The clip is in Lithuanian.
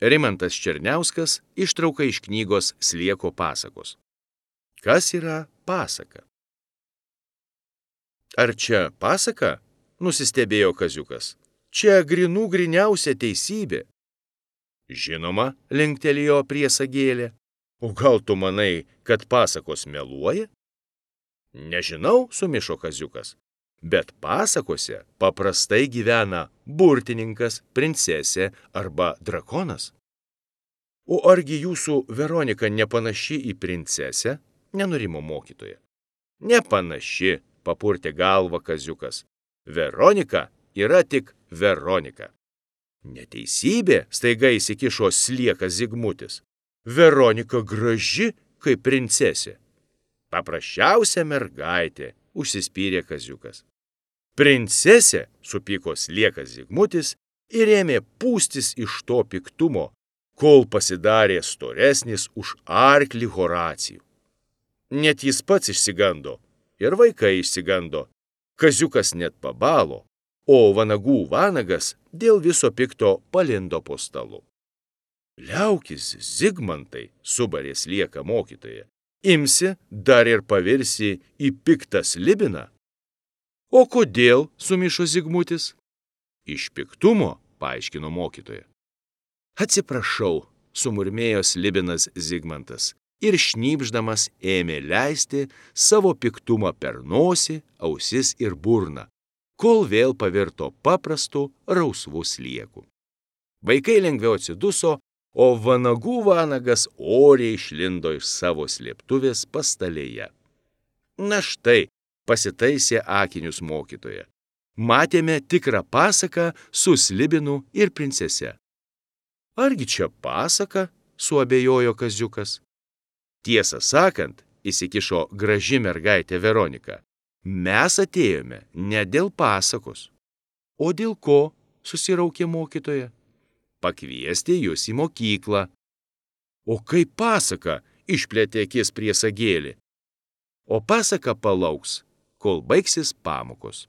Rimantas Černiauskas, ištrauka iš knygos Slieko pasakos. Kas yra pasaka? Ar čia pasaka? Nusistebėjo Kaziukas. Čia gryniausia teisybė. Žinoma, linktelėjo priesagėlė. O gal tu manai, kad pasakos meluoja? Nežinau, sumišo Kaziukas. Bet pasakose paprastai gyvena burtininkas, princesė arba drakonas. O argi jūsų Veronika nepanaši į princesę? Nenurimo mokytoja. Nepanaši, papurtė galvą Kaziukas. Veronika yra tik Veronika. Neteisybė, staiga įsikišo Sliekas Zigmutis. Veronika graži kaip princesė. Paprasčiausia mergaitė, užsispyrė Kaziukas. Princesė, supyko Sliekas Zigmutis ir ėmė pūstis iš to piktumo, kol pasidarė storesnis už arklį Horacijų. Net jis pats išsigando ir vaikai išsigando. Kaziukas net pabalo, o vanagų vanagas dėl viso pikto palindo po stalu. Liaukis, Zigmantai, subarė Slieką mokytoja. Imsi dar ir pavirsi į piktą slibiną? O kodėl, sumišo Zigmutis? Iš piktumo, paaiškino mokytoja. Atsiprašau, sumurmėjo slibinas Zigmantas ir šnypšdamas ėmė leisti savo piktumą per nosį, ausis ir burną, kol vėl pavirto paprastu rausvu slieku. Vaikai lengviau atsiduso, o vanagų vanagas oriai išlindo iš savo slėptuvės pastalėje. Na štai, pasitaisė akinius mokytoja. Matėme tikrą pasaką su slibinu ir princese. Argi čia pasaka, suabejojo Kaziukas. Tiesą sakant, įsikišo graži mergaitė Veronika. Mes atėjome ne dėl pasakos. O dėl ko, susiraukė mokytoja? Pakviesti jūs į mokyklą. O kaip pasaka, išplėtė akis priesagėlė. O pasaka palauks, kol baigsis pamokos.